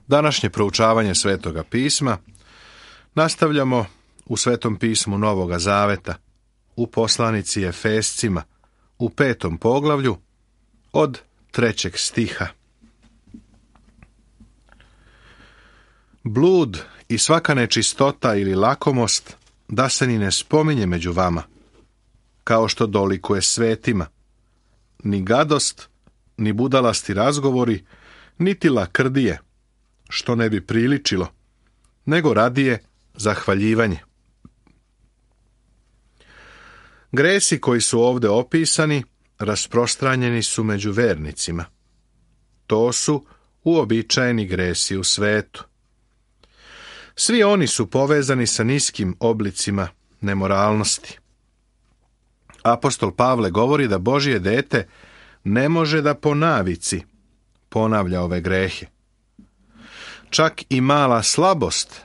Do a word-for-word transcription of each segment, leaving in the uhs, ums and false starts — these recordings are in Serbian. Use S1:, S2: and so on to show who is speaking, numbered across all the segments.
S1: Današnje proučavanje Svetoga pisma nastavljamo u Svetom pismu Novoga Zaveta, u poslanici Efescima, u petom poglavlju, od trećeg stiha. Blud i svaka nečistota ili lakomost da se ni ne spominje među vama, kao što dolikuje svetima, ni gadost, ni budalasti razgovori, niti lakrdije, što ne bi priličilo, nego radije zahvaljivanje. Gresi koji su ovdje opisani rasprostranjeni su među vernicima. To su uobičajeni gresi u svetu. Svi oni su povezani sa niskim oblicima nemoralnosti. Apostol Pavle govori da Božje dete ne može da po navici ponavlja ove grehe. Čak i mala slabost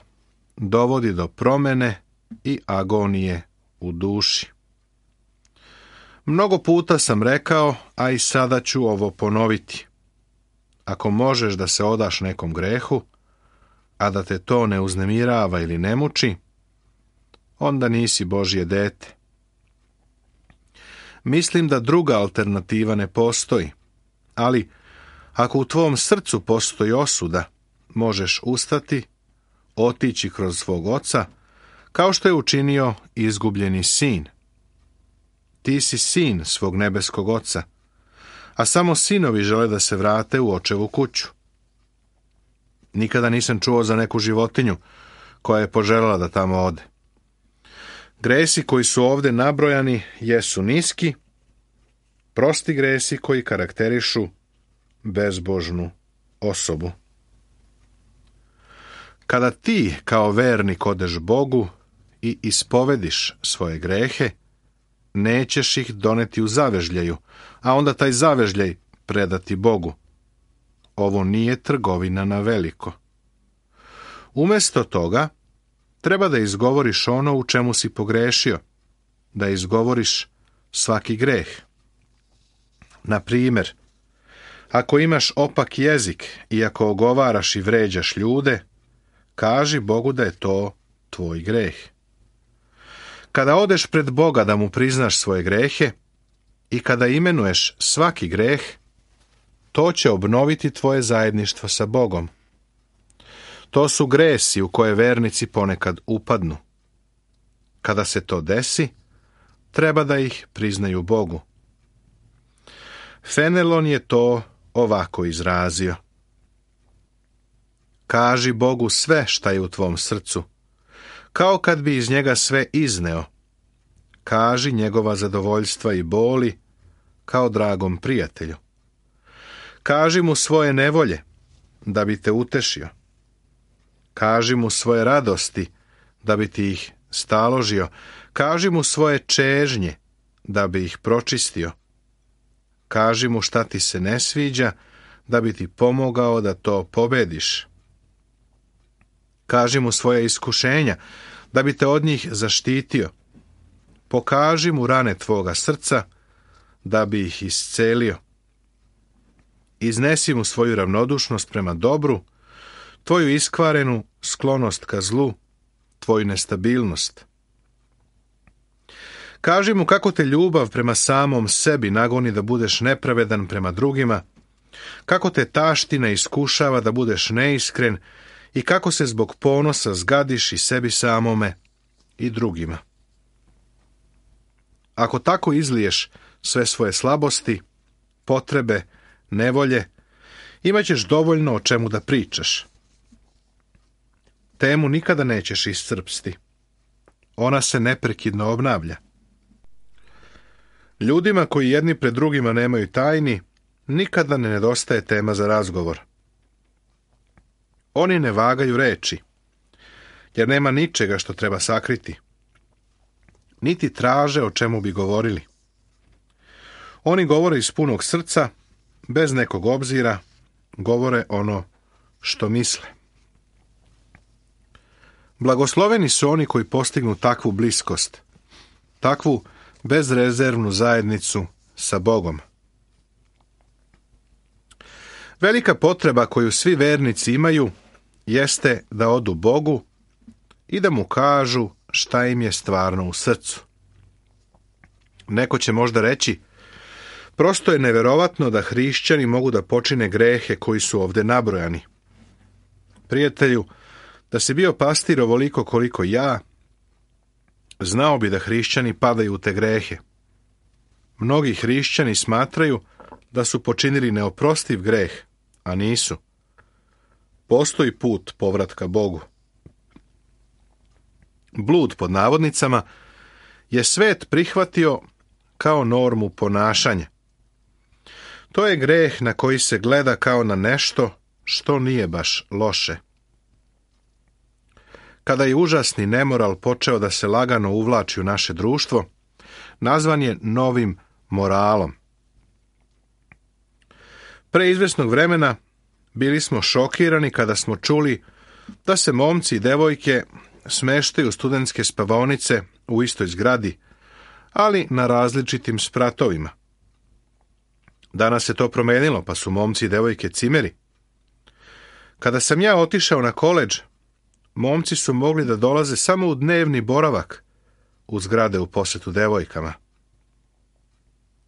S1: dovodi do promene i agonije u duši. Mnogo puta sam rekao, a i sada ću ovo ponoviti. Ako možeš da se odaš nekom grehu, a da te to ne uznemirava ili ne muči, onda nisi Božje dete. Mislim da druga alternativa ne postoji, ali ako u tvom srcu postoji osuda, možeš ustati, otići kroz svog oca, kao što je učinio izgubljeni sin. Ti si sin svog nebeskog oca, a samo sinovi žele da se vrate u očevu kuću. Nikada nisam čuo za neku životinju koja je poželjela da tamo ode. Gresi koji su ovdje nabrojani jesu niski, prosti gresi koji karakterišu bezbožnu osobu. Kada ti kao vernik odeš Bogu i ispovediš svoje grehe, nećeš ih doneti u zavežljaju, a onda taj zavežljaj predati Bogu. Ovo nije trgovina na veliko. Umjesto toga, treba da izgovoriš ono u čemu si pogrešio, da izgovoriš svaki greh. Na primjer, ako imaš opak jezik i ako ogovaraš i vređaš ljude, kaži Bogu da je to tvoj greh. Kada odeš pred Boga da mu priznaš svoje grehe i kada imenuješ svaki greh, to će obnoviti tvoje zajedništvo sa Bogom. To su gresi u koje vernici ponekad upadnu. Kada se to desi, treba da ih priznaju Bogu. Fenelon je to ovako izrazio. Kaži Bogu sve šta je u tvom srcu, kao kad bi iz njega sve izneo. Kaži njegova zadovoljstva i boli, kao dragom prijatelju. Kaži mu svoje nevolje, da bi te utešio. Kaži mu svoje radosti, da bi ti ih staložio. Kaži mu svoje čežnje, da bi ih pročistio. Kaži mu šta ti se ne sviđa, da bi ti pomogao da to pobediš. Kaži mu svoje iskušenja, da bi te od njih zaštitio. Pokaži mu rane tvoga srca, da bi ih iscelio. Iznesi mu svoju ravnodušnost prema dobru, tvoju iskvarenu sklonost ka zlu, tvoju nestabilnost. Kaži mu kako te ljubav prema samom sebi nagoni da budeš nepravedan prema drugima, kako te taština iskušava da budeš neiskren i kako se zbog ponosa zgadiš i sebi samome i drugima. Ako tako izliješ sve svoje slabosti, potrebe, nevolje, imat ćeš dovoljno o čemu da pričaš. Temu nikada nećeš iscrpsti. Ona se neprekidno obnavlja. Ljudima koji jedni pred drugima nemaju tajni, nikada ne nedostaje tema za razgovor. Oni ne vagaju reči, jer nema ničega što treba sakriti. Niti traže o čemu bi govorili. Oni govore iz punog srca, bez nekog obzira, govore ono što misle. Blagosloveni su oni koji postignu takvu bliskost, takvu bezrezervnu zajednicu sa Bogom. Velika potreba koju svi vernici imaju jeste da odu Bogu i da mu kažu šta im je stvarno u srcu. Neko će možda reći, prosto je neverovatno da hrišćani mogu da počine grehe koji su ovde nabrojani. Prijatelju, da si bio pastir ovoliko koliko ja, znao bi da hrišćani padaju u te grehe. Mnogi hrišćani smatraju da su počinili neoprostiv greh, a nisu. Postoji put povratka Bogu. Blud, pod navodnicama, je svet prihvatio kao normu ponašanja. To je greh na koji se gleda kao na nešto što nije baš loše. Kada je užasni nemoral počeo da se lagano uvlači u naše društvo, nazvan je novim moralom. Pre izvesnog vremena bili smo šokirani kada smo čuli da se momci i devojke smeštaju u studentske spavaonice u istoj zgradi, ali na različitim spratovima. Danas se to promenilo, pa su momci i devojke cimeri. Kada sam ja otišao na koledž, momci su mogli da dolaze samo u dnevni boravak u zgrade u posetu devojkama.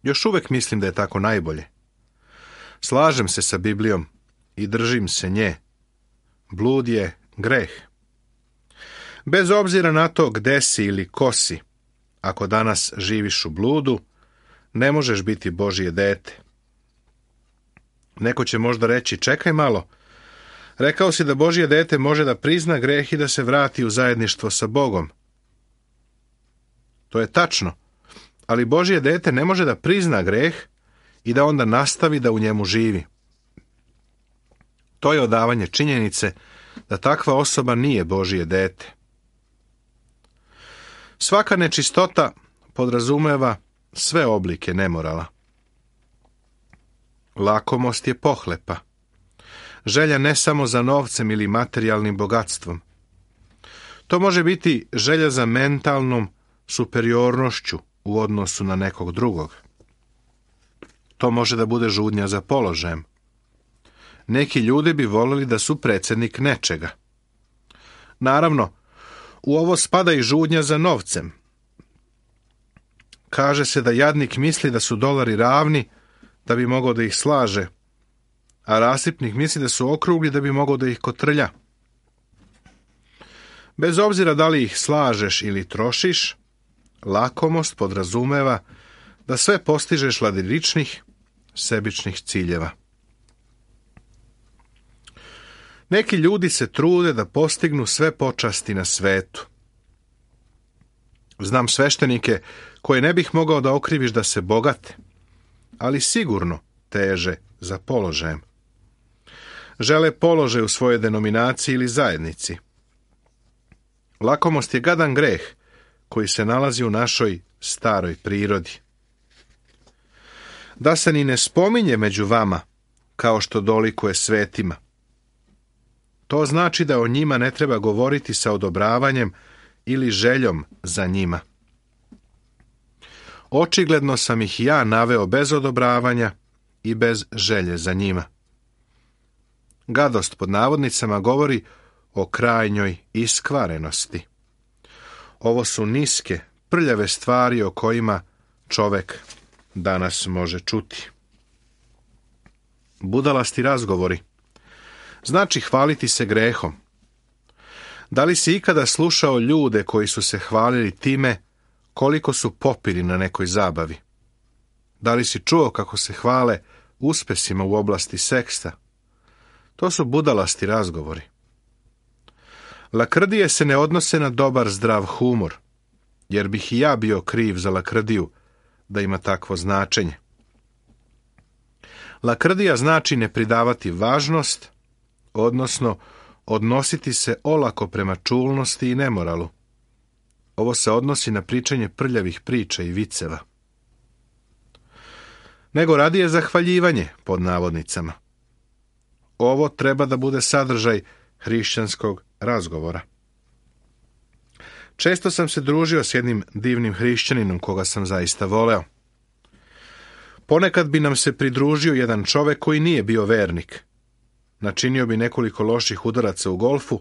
S1: Još uvek mislim da je tako najbolje. Slažem se sa Biblijom i držim se nje. Blud je greh. Bez obzira na to gde si ili ko si, ako danas živiš u bludu, ne možeš biti Božje dete. Neko će možda reći, čekaj malo, rekao si da Božje dete može da prizna greh i da se vrati u zajedništvo sa Bogom. To je tačno, ali Božje dete ne može da prizna greh i da onda nastavi da u njemu živi. To je odavanje činjenice da takva osoba nije Božje dete. Svaka nečistota podrazumeva sve oblike nemorala. Lakomost je pohlepa. Želja ne samo za novcem ili materijalnim bogatstvom. To može biti želja za mentalnom superiornošću u odnosu na nekog drugog. To može da bude žudnja za položajem. Neki ljudi bi voljeli da su predsjednik nečega. Naravno, u ovo spada i žudnja za novcem. Kaže se da jadnik misli da su dolari ravni da bi mogao da ih slaže, a rasipnik misli da su okrugli da bi mogao da ih kotrlja. Bez obzira da li ih slažeš ili trošiš, lakomost podrazumeva da sve postižeš radi ličnih, sebičnih ciljeva. Neki ljudi se trude da postignu sve počasti na svetu. Znam sveštenike koje ne bih mogao da okriviš da se bogate, ali sigurno teže za položajem. Žele položaj u svojoj denominaciji ili zajednici. Lakomost je gadan greh koji se nalazi u našoj staroj prirodi. Da se ni ne spominje među vama kao što dolikuje svetima. To znači da o njima ne treba govoriti sa odobravanjem ili željom za njima. Očigledno sam ih ja naveo bez odobravanja i bez želje za njima. Gadost pod navodnicama govori o krajnjoj iskvarenosti. Ovo su niske, prljave stvari o kojima čovek danas može čuti. Budalasti razgovori. Znači hvaliti se grehom. Da li si ikada slušao ljude koji su se hvalili time koliko su popili na nekoj zabavi? Da li si čuo kako se hvale uspesima u oblasti seksa? To su budalasti razgovori. Lakrdije se ne odnose na dobar zdrav humor, jer bih i ja bio kriv za lakrdiju da ima takvo značenje. Lakrdija znači ne pridavati važnost, odnosno odnositi se olako prema čulnosti i nemoralu. Ovo se odnosi na pričanje prljavih priča i viceva. Nego radije zahvaljivanje, pod navodnicama. Ovo treba da bude sadržaj hrišćanskog razgovora. Često sam se družio s jednim divnim hrišćaninom koga sam zaista voleo. Ponekad bi nam se pridružio jedan čovek koji nije bio vernik. načinio bi nekoliko loših udaraca u golfu,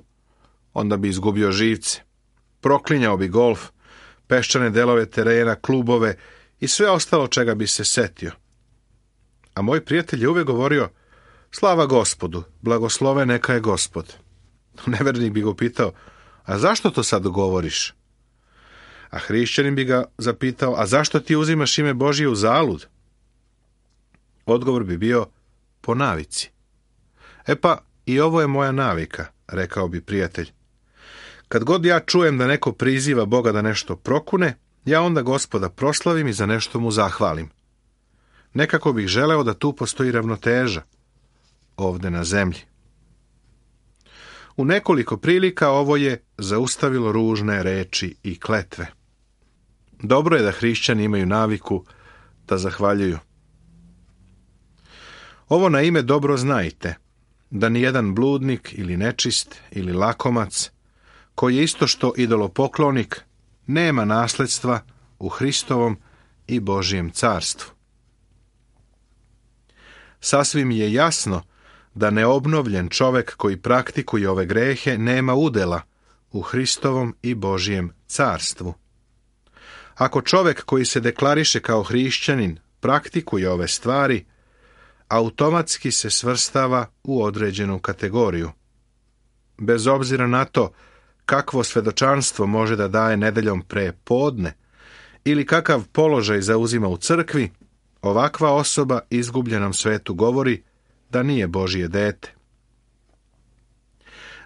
S1: onda bi izgubio živce. Proklinjao bi golf, peščane delove terena, klubove i sve ostalo čega bi se setio. A moj prijatelj je uvek govorio: slava Gospodu, blagoslove neka je Gospod. Nevernik bi ga pitao: a zašto to sad govoriš? A hrišćanin bi ga zapitao: a zašto ti uzimaš ime Božije u zalud? Odgovor bi bio: po navici. E pa, i ovo je moja navika, rekao bi prijatelj. Kad god ja čujem da neko priziva Boga da nešto prokune, ja onda Gospoda proslavim i za nešto mu zahvalim. Nekako bih želeo da tu postoji ravnoteža, ovde na zemlji. U nekoliko prilika ovo je zaustavilo ružne reči i kletve. Dobro je da hrišćani imaju naviku da zahvaljuju. Ovo na ime dobro znajte, da nijedan bludnik ili nečist ili lakomac, koji je isto što idolopoklonik, nema nasledstva u Hristovom i Božijem carstvu. Sasvim je jasno da neobnovljen čovek koji praktikuje ove grehe nema udela u Hristovom i Božijem carstvu. Ako čovek koji se deklariše kao hrišćanin praktikuje ove stvari, automatski se svrstava u određenu kategoriju. Bez obzira na to kakvo svedočanstvo može da daje nedeljom pre podne ili kakav položaj zauzima u crkvi, ovakva osoba izgubljenom svetu govori da nije Božije dete.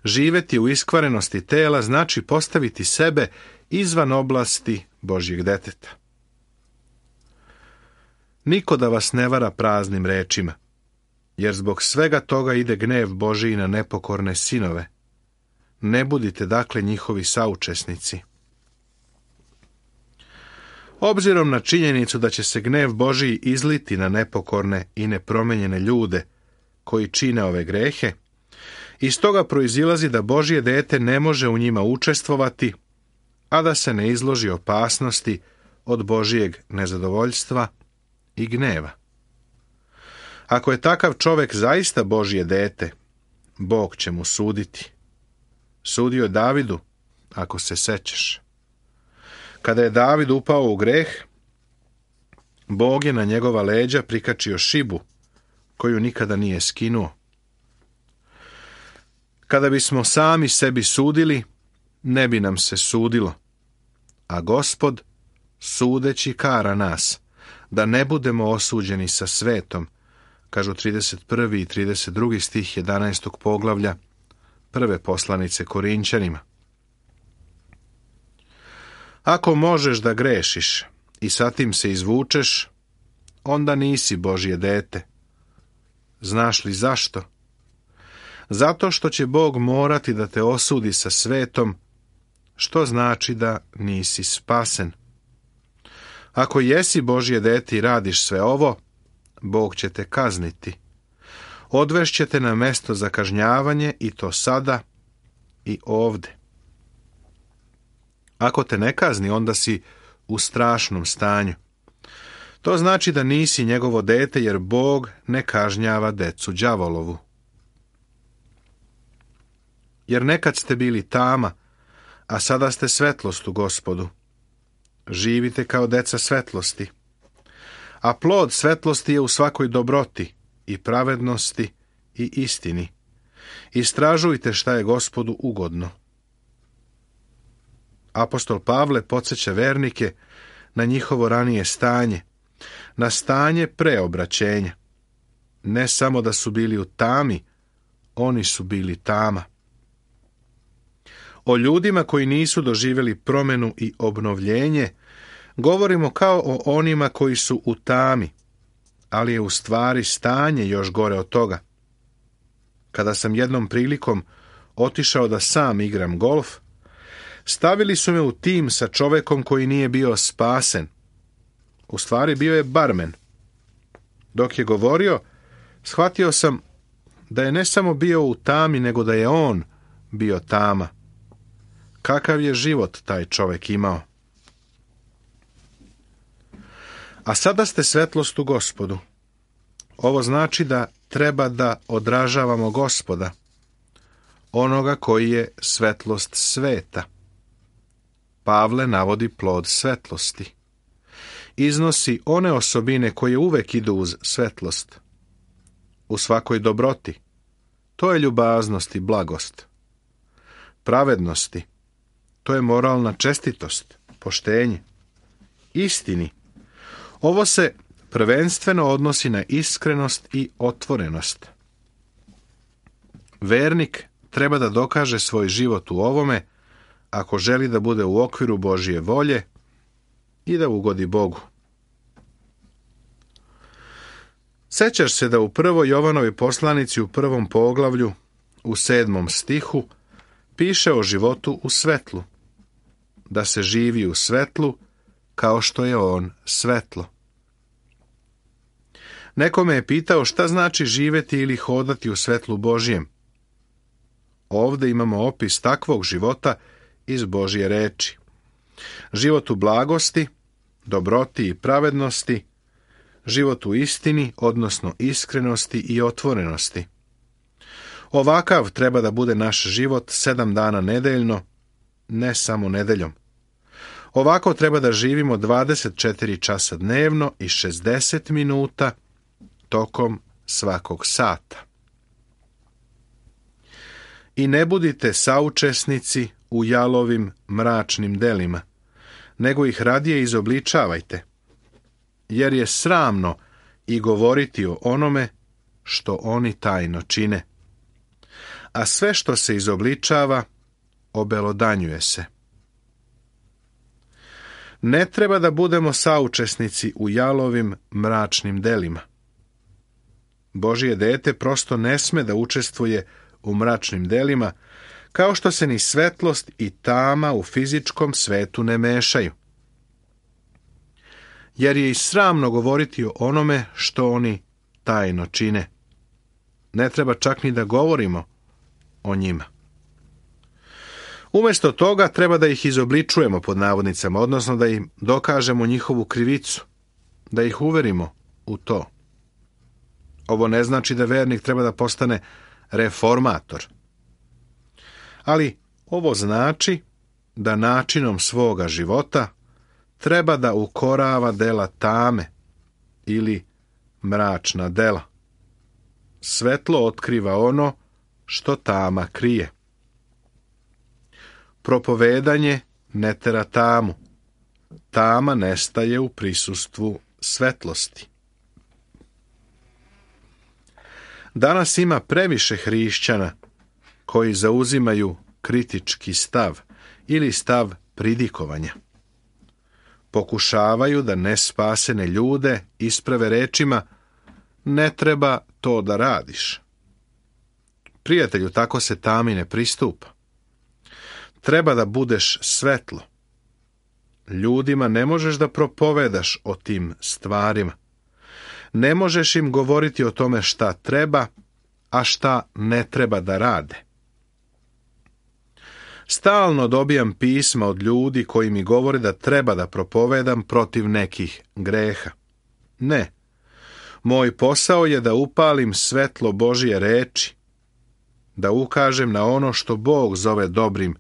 S1: Živeti u iskvarenosti tela znači postaviti sebe izvan oblasti Božjeg deteta. Niko da vas ne vara praznim rečima, jer zbog svega toga ide gnev Božiji na nepokorne sinove. Ne budite dakle njihovi saučesnici. Obzirom na činjenicu da će se gnev Božiji izliti na nepokorne i nepromenjene ljude koji čine ove grehe, iz toga proizilazi da Božje dete ne može u njima učestvovati, a da se ne izloži opasnosti od Božijeg nezadovoljstva i gneva. Ako je takav čovek zaista Božje dete, Bog će mu suditi. Sudio je Davidu, ako se sećaš. Kada je David upao u greh, Bog je na njegova leđa prikačio šibu, koju nikada nije skinuo. Kada bismo sami sebi sudili, ne bi nam se sudilo, a Gospod, sudeći, kara nas, da ne budemo osuđeni sa svetom, kažu trideset prvi i trideset drugi stih jedanaestog poglavlja prve poslanice Korinćanima. Ako možeš da grešiš i sa tim se izvučeš, onda nisi Božje dete. Znaš li zašto? Zato što će Bog morati da te osudi sa svetom, što znači da nisi spasen. Ako jesi Božje dete i radiš sve ovo, Bog će te kazniti. Odvešće te na mesto za kažnjavanje i to sada i ovde. Ako te ne kazni, onda si u strašnom stanju. To znači da nisi njegovo dete, jer Bog ne kažnjava decu đavolovu. Jer nekad ste bili tama, a sada ste svetlost u Gospodu. Živite kao deca svetlosti. A plod svetlosti je u svakoj dobroti i pravednosti i istini. Istražujte šta je Gospodu ugodno. Apostol Pavle podsjeća vernike na njihovo ranije stanje, na stanje preobraćenja. Ne samo da su bili u tami, oni su bili tama. O ljudima koji nisu doživjeli promjenu i obnovljenje, govorimo kao o onima koji su u tami, ali je u stvari stanje još gore od toga. Kada sam jednom prilikom otišao da sam igram golf, stavili su me u tim sa čovekom koji nije bio spasen. U stvari bio je barmen. Dok je govorio, shvatio sam da je ne samo bio u tami, nego da je on bio tama. Kakav je život taj čovek imao? A sada ste svetlost u Gospodu. Ovo znači da treba da odražavamo Gospoda, onoga koji je svetlost sveta. Pavle navodi plod svetlosti. Iznosi one osobine koje uvek idu uz svetlost. U svakoj dobroti. To je ljubaznost i blagost. Pravednosti. To je moralna čestitost, poštenje. Istini. Ovo se prvenstveno odnosi na iskrenost i otvorenost. Vernik treba da dokaže svoj život u ovome ako želi da bude u okviru Božje volje i da ugodi Bogu. Sećaš se da u prvoj Jovanovoj poslanici u prvom poglavlju, u sedmom stihu, piše o životu u svetlu, da se živi u svetlu kao što je on svetlo. Neko me je pitao šta znači živeti ili hodati u svetlu Božjem. Ovde imamo opis takvog života iz Božje reči. Život u blagosti, dobroti i pravednosti, život u istini, odnosno iskrenosti i otvorenosti. Ovakav treba da bude naš život sedam dana nedeljno, ne samo nedeljom. Ovako treba da živimo dvadeset četiri časa dnevno i šezdeset minuta tokom svakog sata. I ne budite saučesnici u jalovim mračnim delima, nego ih radije izobličavajte, jer je sramno i govoriti o onome što oni tajno čine. A sve što se izobličava, obelodanjuje se. Ne treba da budemo saučesnici u jalovim mračnim delima. Božje dete prosto ne sme da učestvuje u mračnim delima, kao što se ni svetlost i tama u fizičkom svetu ne mešaju. Jer je i sramno govoriti o onome što oni tajno čine. Ne treba čak ni da govorimo o njima. Umjesto toga treba da ih izobličujemo pod navodnicama, odnosno da im dokažemo njihovu krivicu, da ih uverimo u to. Ovo ne znači da vernik treba da postane reformator. Ali ovo znači da načinom svoga života treba da ukorava dela tame ili mračna dela. Svetlo otkriva ono što tama krije. Propovedanje ne tera tamu. Tama nestaje u prisustvu svetlosti. Danas ima previše hrišćana koji zauzimaju kritički stav ili stav pridikovanja. Pokušavaju da nespasene ljude isprave rečima ne treba to da radiš. Prijatelju, tako se tami ne pristupa. Treba da budeš svetlo. Ljudima ne možeš da propovedaš o tim stvarima. Ne možeš im govoriti o tome šta treba, a šta ne treba da rade. Stalno dobijam pisma od ljudi koji mi govore da treba da propovedam protiv nekih greha. Ne. Moj posao je da upalim svetlo Božje reči, da ukažem na ono što Bog zove dobrim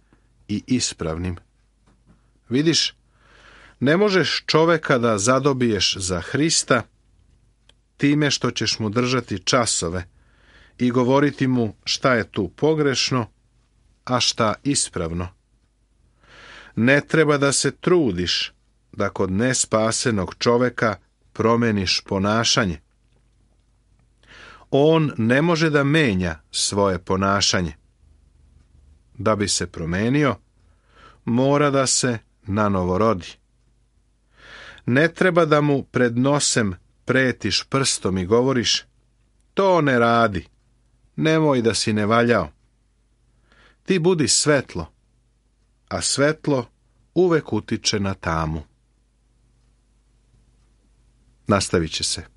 S1: i ispravnim. Vidiš, ne možeš čoveka da zadobiješ za Hrista time što ćeš mu držati časove i govoriti mu šta je tu pogrešno, a šta ispravno. Ne treba da se trudiš da kod nespasenog čoveka promeniš ponašanje. On ne može da menja svoje ponašanje. Da bi se promenio, mora da se nanovo rodi. Ne treba da mu pred nosem pretiš prstom i govoriš, to ne radi, nemoj da si ne valjao. Ti budi svetlo, a svetlo uvek utiče na tamu. Nastavit će se.